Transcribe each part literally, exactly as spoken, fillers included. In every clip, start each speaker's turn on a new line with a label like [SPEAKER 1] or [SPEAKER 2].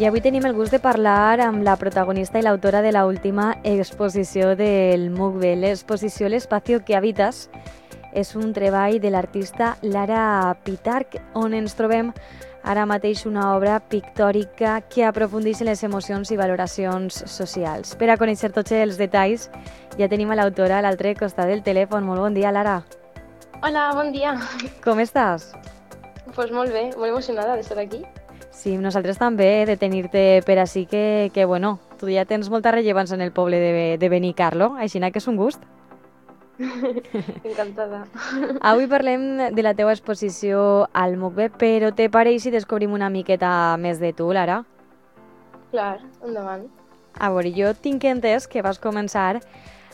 [SPEAKER 1] I avui tenim el gust de parlar amb la protagonista i l'autora de l'última exposició del MUCBE, l'exposició L'espacio que habitas. És un treball de l'artista Lara Pitarch, on ens trobem ara mateix una obra pictòrica que aprofundeix en les emocions i valoracions socials. Per a conèixer tots els detalls, ja tenim a l'autora a l'altre costat del telèfon. Molt bon dia, Lara.
[SPEAKER 2] Hola, bon dia.
[SPEAKER 1] Com estàs?
[SPEAKER 2] Pues molt bé, molt emocionada d'estar aquí.
[SPEAKER 1] Sí, nosaltres també, de tenir-te per així, que, que bueno, tu ja tens molta rellevància en el poble de, de Benicarlo, així que és un gust.
[SPEAKER 2] Encantada.
[SPEAKER 1] Avui parlem de la teua exposició al MUCBE, però te pareix si descobrim una miqueta més de tu, Lara?
[SPEAKER 2] Clar, endavant.
[SPEAKER 1] A veure, jo tinc entès que vas començar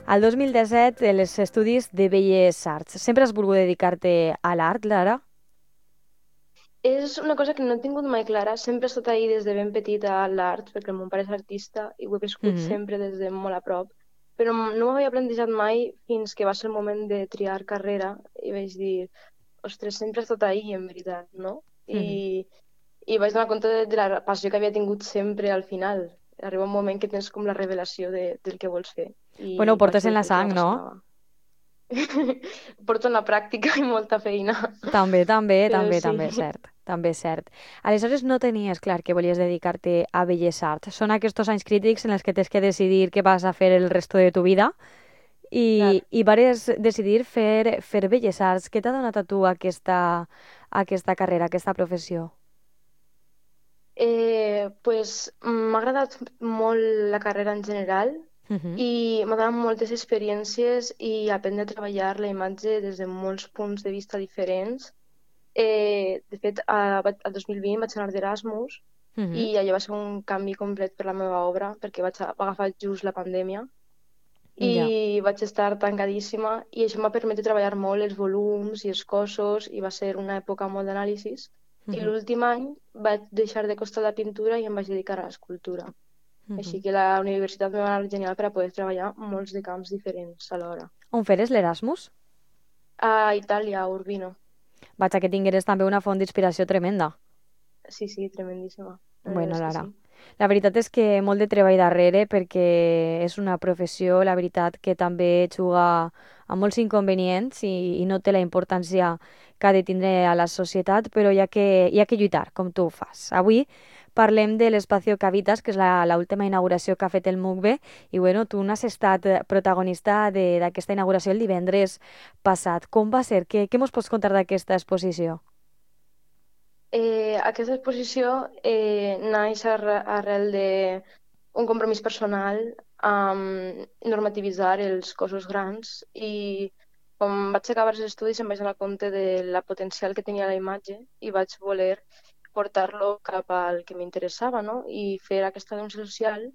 [SPEAKER 1] al dos mil disset els estudis de Belles Arts. Sempre has volgut dedicar-te a l'art, Lara?
[SPEAKER 2] És una cosa que no he tingut mai clara. Sempre he estat ahí des de ben petita a l'art, perquè el meu pare és artista i ho he viscut
[SPEAKER 1] Mhm.
[SPEAKER 2] sempre des de molt a prop. Però no m'havia plantejat mai fins que va ser el moment de triar carrera i vaig dir, ostres, sempre he estat ahí, en veritat, no?
[SPEAKER 1] Mhm.
[SPEAKER 2] I, i vaig donar compte de, de la passió que havia tingut sempre al final. Arriba un moment que tens com la revelació de, del que vols fer.
[SPEAKER 1] Bueno, ho
[SPEAKER 2] I vaig
[SPEAKER 1] portes
[SPEAKER 2] fer
[SPEAKER 1] en
[SPEAKER 2] el
[SPEAKER 1] la
[SPEAKER 2] que em
[SPEAKER 1] sang, no?
[SPEAKER 2] apassionava. Porto en la pràctica i molta feina.
[SPEAKER 1] També, també,
[SPEAKER 2] Però
[SPEAKER 1] també,
[SPEAKER 2] sí.
[SPEAKER 1] també és cert. També és cert. Aleshores no tenies clar que volies dedicar-te a Belles Arts. Són aquests anys crítics en els que tens que decidir què vas a fer el resto de tu vida
[SPEAKER 2] Clar.
[SPEAKER 1] i, i vares decidir fer, fer Belles Arts. Què t'ha donat a tu aquesta, aquesta carrera, aquesta professió?
[SPEAKER 2] Eh, pues, m'ha agradat molt la carrera en general
[SPEAKER 1] Mhm.
[SPEAKER 2] i m'ha donat moltes experiències i aprendre a treballar la imatge des de molts punts de vista diferents. Eh, de fet, a, vaig- el dos mil vint vaig anar d'Erasmus
[SPEAKER 1] Mhm.
[SPEAKER 2] i allò va ser un canvi complet per la meva obra perquè vaig a- va agafar just la pandèmia
[SPEAKER 1] Ja.
[SPEAKER 2] i vaig estar tancadíssima i això m'ha permès treballar molt els volums i els cossos i va ser una època molt d'anàlisis. I
[SPEAKER 1] Mhm.
[SPEAKER 2] l'últim any vaig deixar de costar la pintura i em vaig dedicar a l'escultura. Així
[SPEAKER 1] Mhm.
[SPEAKER 2] que la universitat em va anar genial per a poder treballar molts de camps diferents alhora.
[SPEAKER 1] On feres l'Erasmus?
[SPEAKER 2] A Itàlia, a Urbino.
[SPEAKER 1] Vaig a que tingueres també una font d'inspiració tremenda.
[SPEAKER 2] Sí, sí, tremendíssima. La veritat
[SPEAKER 1] Bueno,
[SPEAKER 2] és que
[SPEAKER 1] Lara,
[SPEAKER 2] sí.
[SPEAKER 1] la veritat és que molt de treball darrere perquè és una professió, la veritat, que també juga amb molts inconvenients i, i no té la importància que ha de tindre a la societat, però hi ha que, hi ha que lluitar, com tu ho fas. Avui parlem de l'Espacio que habitas, que és la, la última inauguració que ha fet el MUCBE, i bueno, tu n'has estat protagonista de- d'aquesta inauguració el divendres passat. Com va ser? Què, què mos pots contar d'aquesta exposició?
[SPEAKER 2] Eh, aquesta exposició eh, naix arre- arrel d'un compromís personal amb normativitzar els cossos grans i quan vaig acabar els estudis em vaig donar compte de la potencial que tenia la imatge i vaig voler portar-lo cap al que m'interessava, no? I fer aquesta denúncia social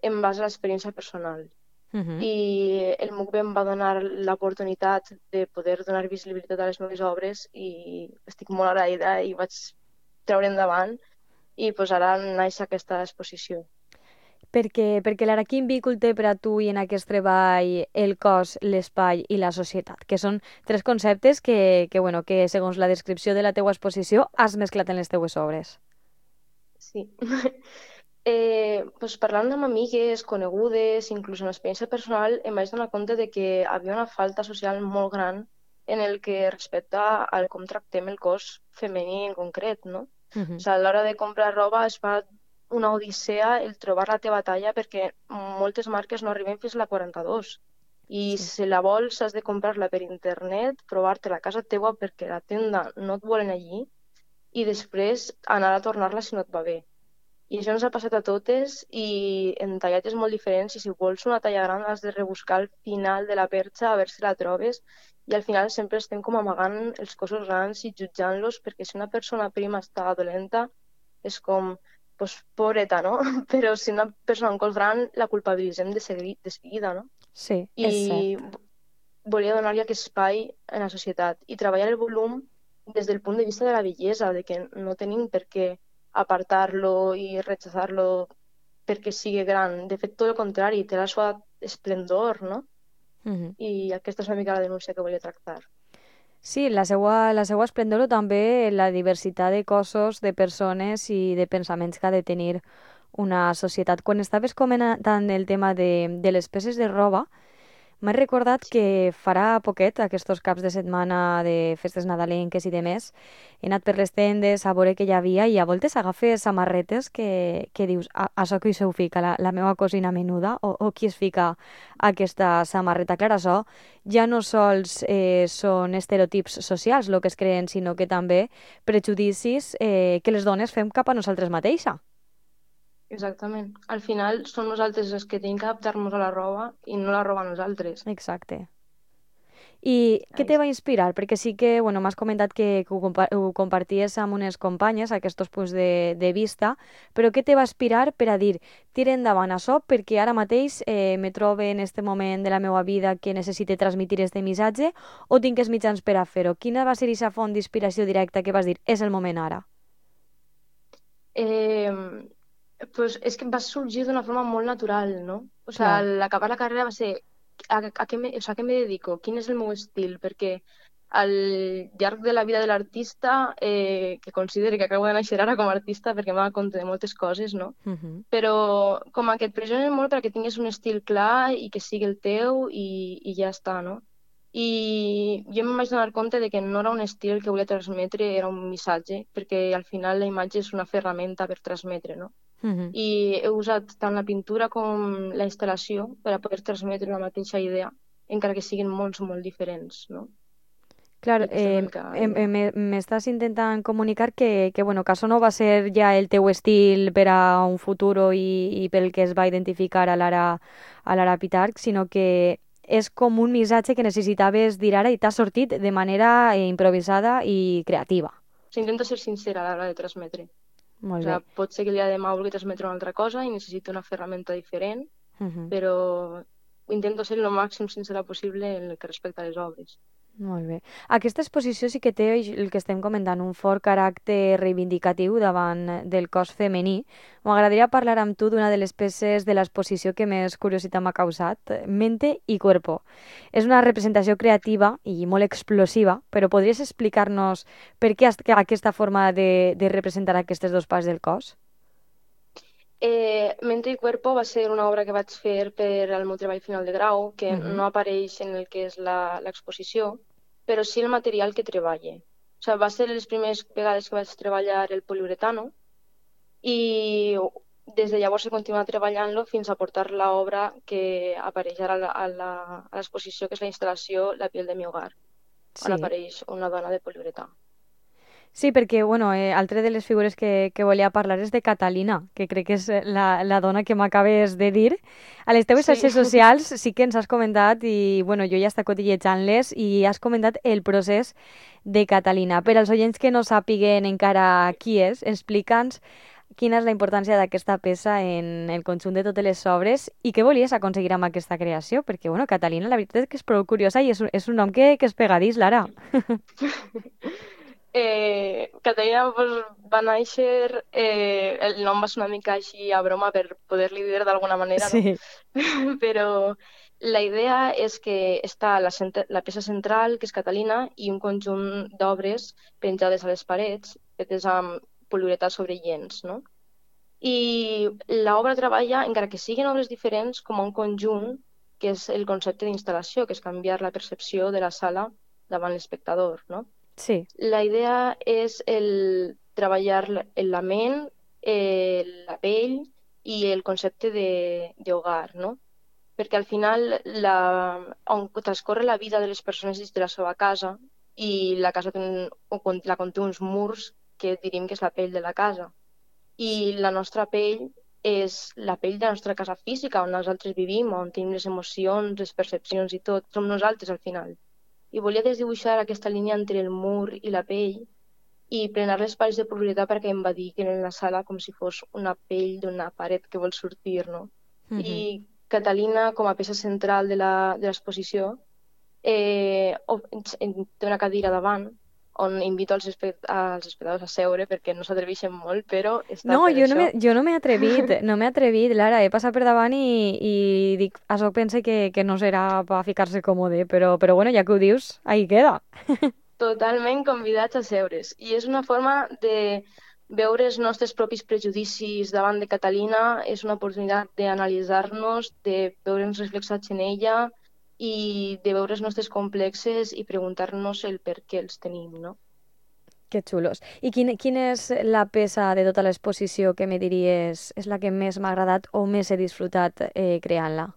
[SPEAKER 2] en base a l'experiència personal.
[SPEAKER 1] Mhm.
[SPEAKER 2] I el MUCBE em va donar l'oportunitat de poder donar visibilitat a les meves obres i estic molt agraïda i vaig treure endavant i pues, ara naix aquesta exposició.
[SPEAKER 1] Perquè, perquè l'ara quin vínculo té per a tu i en aquest treball el cos, l'espai i la societat? Que són tres conceptes que, que, bueno, que segons la descripció de la teua exposició has mesclat en les teues obres.
[SPEAKER 2] Sí. eh, pues, parlant amb amigues, conegudes, inclús en l'experiència personal, em vaig donar compte de que havia una falta social molt gran en el que respecta al com tractem el cos femení en concret, no? O
[SPEAKER 1] Mhm.
[SPEAKER 2] sigui, a l'hora de comprar roba es fa una odissea el trobar la teva talla perquè moltes marques no arriben fins a la quaranta-dos. I
[SPEAKER 1] Sí.
[SPEAKER 2] si la vols has de comprar-la per internet, provar-te-la a casa teua perquè la tenda no et volen allí i després anar a tornar-la si no et va bé. I això ens ha passat a totes i en tallatges molt diferents i si vols una talla gran has de rebuscar al final de la perxa a veure si la trobes i al final sempre estem com amagant els cossos grans i jutjant-los perquè si una persona prima està dolenta és com, pues, pobreta, no? Però si una persona amb cos gran la culpabilitzem de, seguir, de seguida, no?
[SPEAKER 1] Sí, és
[SPEAKER 2] I
[SPEAKER 1] cert.
[SPEAKER 2] volia donar-li aquest espai en la societat i treballar el volum des del punt de vista de la bellesa, de que no tenim per què apartar-lo i rechazar-lo perquè sigui gran. De fet, tot el contrari, té la seva esplendor, no?
[SPEAKER 1] Mhm.
[SPEAKER 2] I aquesta és una mica la denúncia que volia tractar.
[SPEAKER 1] Sí, la seua, la seua esplendor o també la diversitat de cossos, de persones i de pensaments que ha de tenir una societat. Quan estaves comentant el tema de, de les peces de roba, m'he recordat
[SPEAKER 2] Sí,
[SPEAKER 1] que farà poquet, aquests caps de setmana de festes nadalenques i demés, he anat per les tendes a veure què hi havia i a voltes agafes samarretes que, que dius, "A- això qui se ho fica, la, la meva cosina menuda? O, o qui es fica aquesta samarreta?" Clar, això ja no sols eh, són estereotips socials el que es creen, sinó que també prejudicis eh, que les dones fem cap a nosaltres mateixa.
[SPEAKER 2] exactament. Al final som nosaltres els que tenim que adaptar-nos a la roba i no la roba a nosaltres.
[SPEAKER 1] Exacte. I què
[SPEAKER 2] Ai,
[SPEAKER 1] te va inspirar? Perquè sí que, bueno, m'has comentat que, que ho, compa ho comparties amb unes companyes, aquests punts de, de vista, però què te va inspirar per a dir, tira endavant això perquè ara mateix eh, me trobe en este moment de la meva vida que necessite transmitir este missatge o tinc els mitjans per a fer-ho? Quina va ser aquesta font d'inspiració directa que vas dir, és el moment ara?
[SPEAKER 2] Eh, pues és que va sorgir d'una forma molt natural, no? O sigui,
[SPEAKER 1] Clar.
[SPEAKER 2] al acabar la carrera va ser a, a, què me, o sigui, a què me dedico? Quin és el meu estil? Perquè al llarg de la vida de l'artista, eh, que considero que acabo de néixer ara com a artista perquè m'ha compte de moltes coses, no?
[SPEAKER 1] Uh -huh.
[SPEAKER 2] Però com a que et pressionen molt perquè tinguis un estil clar i que sigui el teu i, i ja està, no? I jo em vaig donar compte de que no era un estil el que volia transmetre, era un missatge, perquè al final la imatge és una ferramenta per transmetre, no?
[SPEAKER 1] Uh -huh.
[SPEAKER 2] I he usat tant la pintura com la instal·lació per a poder transmetre la mateixa idea, encara que siguin mons molt diferents, no?
[SPEAKER 1] Clar,
[SPEAKER 2] I aquesta és una
[SPEAKER 1] eh,
[SPEAKER 2] mica la
[SPEAKER 1] em- em-
[SPEAKER 2] idea.
[SPEAKER 1] me- m'estàs intentant comunicar que, que, bueno, que això no va ser ja el teu estil per a un futur i, i pel que es va identificar a l'Ara a l'Ara Pitarch, sinó que és com un missatge que necessitaves dir ara i t'ha sortit de manera eh, improvisada i creativa.
[SPEAKER 2] O sigui, intento ser sincera a l'hora de transmetre. O
[SPEAKER 1] Molt bé.
[SPEAKER 2] sigui, pot ser que el dia de demà vulgui transmetre una altra cosa i necessito una ferramenta diferent,
[SPEAKER 1] Uh -huh.
[SPEAKER 2] però intento ser el màxim sincera possible en el que respecta a les obres.
[SPEAKER 1] Molt bé. Aquesta exposició sí que té el que estem comentant, un fort caràcter reivindicatiu davant del cos femení. M'agradaria parlar amb tu d'una de les peces de l'exposició que més curiositat m'ha causat, Mente i Cuerpo. És una representació creativa i molt explosiva, però podries explicar-nos per què has- aquesta forma de, de representar aquestes dos parts del cos?
[SPEAKER 2] Eh, Mente y Cuerpo va ser una obra que vaig fer per al meu treball final de grau, que
[SPEAKER 1] Mhm.
[SPEAKER 2] no apareix en el que és la- l'exposició, però sí el material que treballe. O sigui, va ser les primeres vegades que vaig treballar el poliuretano i des de llavors he continuat treballant-lo fins a portar l'obra que apareix ara a la- a la- a l'exposició, que és la instal·lació La piel de mi hogar, on
[SPEAKER 1] Sí.
[SPEAKER 2] apareix una dona de poliuretà.
[SPEAKER 1] Sí, perquè, bueno, eh, altre de les figures que, que volia parlar és de Catalina, que crec que és eh, la, la dona que m'acabes de dir. A les teves
[SPEAKER 2] Sí.
[SPEAKER 1] xarxes socials sí que ens has comentat, i bueno, jo ja està cotillejant-les, i has comentat el procés de Catalina. Per als oients que no sàpiguen encara qui és, explica'ns quina és la importància d'aquesta peça en el conjunt de totes les obres i què volies aconseguir amb aquesta creació, perquè, bueno, Catalina, la veritat és que és prou curiosa i és un, és un nom que, que és pegadís, Lara.
[SPEAKER 2] Eh, Catalina pues, va néixer, eh, el nom va ser una mica així a broma per poder-li dir d'alguna manera, no?
[SPEAKER 1] Sí,
[SPEAKER 2] Però la idea és que està la, cent- la peça central, que és Catalina, i un conjunt d'obres penjades a les parets, fetes amb poliuretà sobre llenç, no? I l'obra treballa, encara que siguin obres diferents, com a un conjunt, que és el concepte d'instal·lació, que és canviar la percepció de la sala davant l'espectador, no?
[SPEAKER 1] sí,
[SPEAKER 2] La idea és el treballar la- en la ment, eh, la pell i el concepte de d'hogar, no? Perquè al final la, on transcorre la vida de les persones dins de la seva casa i la casa té un, o con- la conté uns murs que diríem que és la pell de la casa. I la nostra pell és la pell de la nostra casa física, on nosaltres vivim, on tenim les emocions, les percepcions i tot. Som nosaltres al final. I volia desdibuixar aquesta línia entre el mur i la pell i plenar les parets de propietat perquè em va dir que en la sala com si fos una pell d'una paret que vol sortir, no?
[SPEAKER 1] mhm,
[SPEAKER 2] I Catalina, com a peça central de la- de l'exposició, eh, o- en- té una cadira davant on invito als, espe als espectadors a seure perquè no s'atreveixen molt, però està
[SPEAKER 1] no,
[SPEAKER 2] per
[SPEAKER 1] jo no
[SPEAKER 2] això.
[SPEAKER 1] m'he jo no m'he atrevit, no m'he atrevit, Lara, he passat per davant i, i dic, això pense que, que no serà per ficar-se còmode, però, però bueno, ja que ho dius, ahí queda.
[SPEAKER 2] totalment convidats a seure's. I és una forma de veure els nostres propis prejudicis davant de Catalina, és una oportunitat d'analitzar-nos, de veure'ns reflexats en ella i de veure els nostres complexes i preguntar-nos el per què els tenim, no?
[SPEAKER 1] Que xulos. I quin, quina és la peça de tota l'exposició que me diries és la que més m'ha agradat o més he disfrutat eh, creant-la?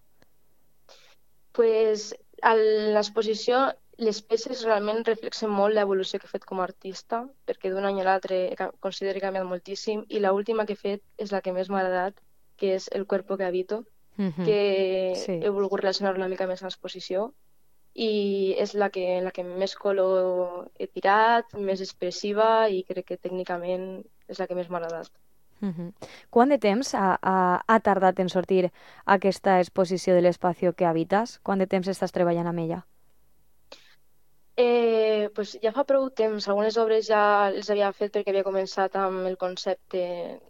[SPEAKER 2] Pues, a l'exposició les peces realment reflexen molt l'evolució que he fet com a artista, perquè d'un any a l'altre he ca- considero que he canviat moltíssim, i l'última que he fet és la que més m'ha agradat, que és El cuerpo que habito,
[SPEAKER 1] Mhm.
[SPEAKER 2] que
[SPEAKER 1] Sí.
[SPEAKER 2] he volgut relacionar una mica més amb l'exposició, i és la que, la que més color he tirat, més expressiva, i crec que tècnicament és la que més m'ha agradat.
[SPEAKER 1] Mhm. Quant de temps ha, ha, ha tardat en sortir aquesta exposició de l'espai que habites? Quant de temps estàs treballant amb ella?
[SPEAKER 2] Eh, pues ja fa prou temps, algunes obres ja les havia fet perquè havia començat amb el concepte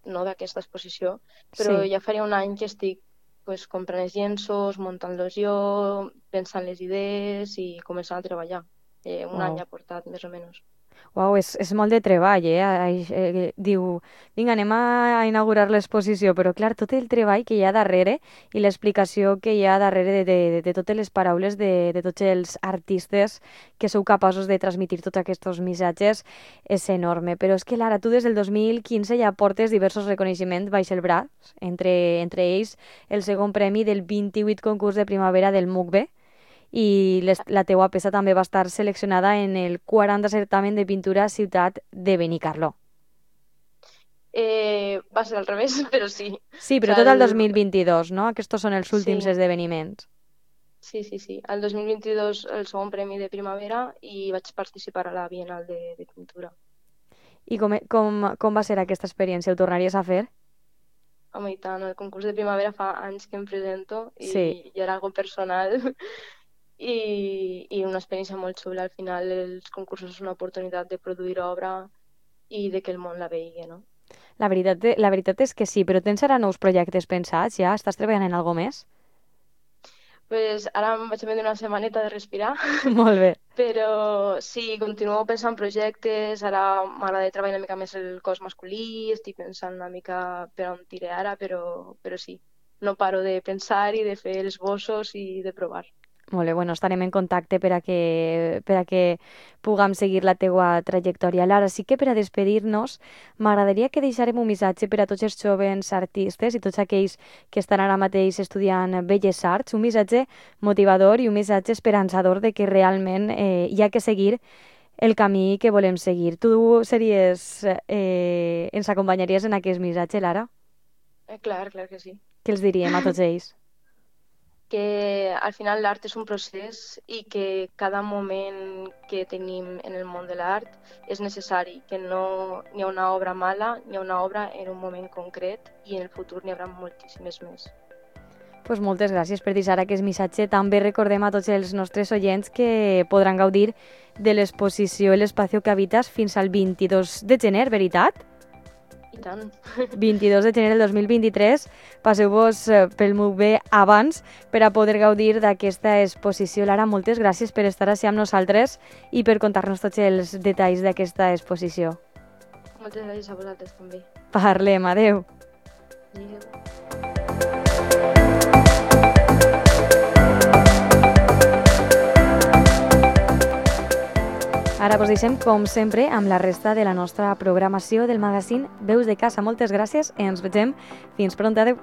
[SPEAKER 2] no, d'aquesta exposició, però
[SPEAKER 1] Sí.
[SPEAKER 2] ja faria un any que estic pues, comprant els llenços, muntant-los jo, pensant les idees i començant a treballar. Eh, un any
[SPEAKER 1] Wow.
[SPEAKER 2] ha portat, més o menys.
[SPEAKER 1] Uau, és, és molt de treball, eh? Ai, eh? Diu, vinga, anem a inaugurar l'exposició, però clar, tot el treball que hi ha darrere i l'explicació que hi ha darrere de, de, de totes les paraules de, de tots els artistes que sou capaços de transmitir tots aquests missatges és enorme. Però és que, Lara, tu des del dos mil quinze ja portes diversos reconeixements baix el braç, entre, entre ells el segon premi del vint-i-vuit concurs de primavera del MUCBE, i les, la teua peça també va estar seleccionada en el quaranta certamen de pintura Ciutat de Benicarló.
[SPEAKER 2] Eh, va ser al revés, però sí.
[SPEAKER 1] Sí,
[SPEAKER 2] O
[SPEAKER 1] però
[SPEAKER 2] sea,
[SPEAKER 1] tot el
[SPEAKER 2] el...
[SPEAKER 1] dos mil vint-i-dos, no? Aquests són els últims
[SPEAKER 2] Sí,
[SPEAKER 1] esdeveniments.
[SPEAKER 2] sí, sí, sí. El dos mil vint-i-dos el segon premi de primavera i vaig participar a la Bienal de, de Pintura.
[SPEAKER 1] I com, com, com va ser aquesta experiència? Ho tornaries a fer?
[SPEAKER 2] Home, i tant, el concurs de primavera fa anys que em presento i,
[SPEAKER 1] Sí.
[SPEAKER 2] i era algo personal i, i una experiència molt xula. Al final els concursos és una oportunitat de produir obra i de que el món la vegi, no?
[SPEAKER 1] La veritat, la veritat és que sí, però tens ara nous projectes pensats ja? Estàs treballant en alguna més?
[SPEAKER 2] Pues ara em vaig prendre una setmaneta de respirar,
[SPEAKER 1] Molt bé.
[SPEAKER 2] però sí, continuo pensant en projectes, ara m'agrada treballar una mica més el cos masculí, estic pensant una mica per on tiré ara, però, però sí, no paro de pensar i de fer esbossos i de provar.
[SPEAKER 1] Molt bé, bueno, estarem en contacte per a que, per a que puguem seguir la teua trajectòria. Lara, sí que per a despedir-nos m'agradaria que deixarem un missatge per a tots els jovens artistes i tots aquells que estan ara mateix estudiant Belles Arts, un missatge motivador i un missatge esperançador de que realment eh, hi ha que seguir el camí que volem seguir. Tu series, eh, ens acompanyaries en aquest missatge, Lara?
[SPEAKER 2] Eh, clar, clar que sí.
[SPEAKER 1] Què els diríem a tots ells?
[SPEAKER 2] Que al final l'art és un procés i que cada moment que tenim en el món de l'art és necessari, que no n'hi ha una obra mala, n'hi ha una obra en un moment concret i en el futur n'hi haurà moltíssimes més.
[SPEAKER 1] Pues moltes gràcies per deixar aquest missatge. També recordem a tots els nostres oients que podran gaudir de l'exposició L'Espacio que habites fins al vint-i-dos de gener, veritat?
[SPEAKER 2] I tant.
[SPEAKER 1] vint-i-dos de gener del dos mil vint-i-tres. Passeu-vos eh, pel MUCBE abans per a poder gaudir d'aquesta exposició. Lara, moltes gràcies per estar així amb nosaltres i per contar-nos tots els detalls d'aquesta exposició.
[SPEAKER 2] Moltes gràcies a vosaltres també.
[SPEAKER 1] Parlem, adeu.
[SPEAKER 2] Adéu.
[SPEAKER 1] Ara us deixem, com sempre, amb la resta de la nostra programació del magazín Veus de Casa. Moltes gràcies i ens vegem fins pront. Adéu.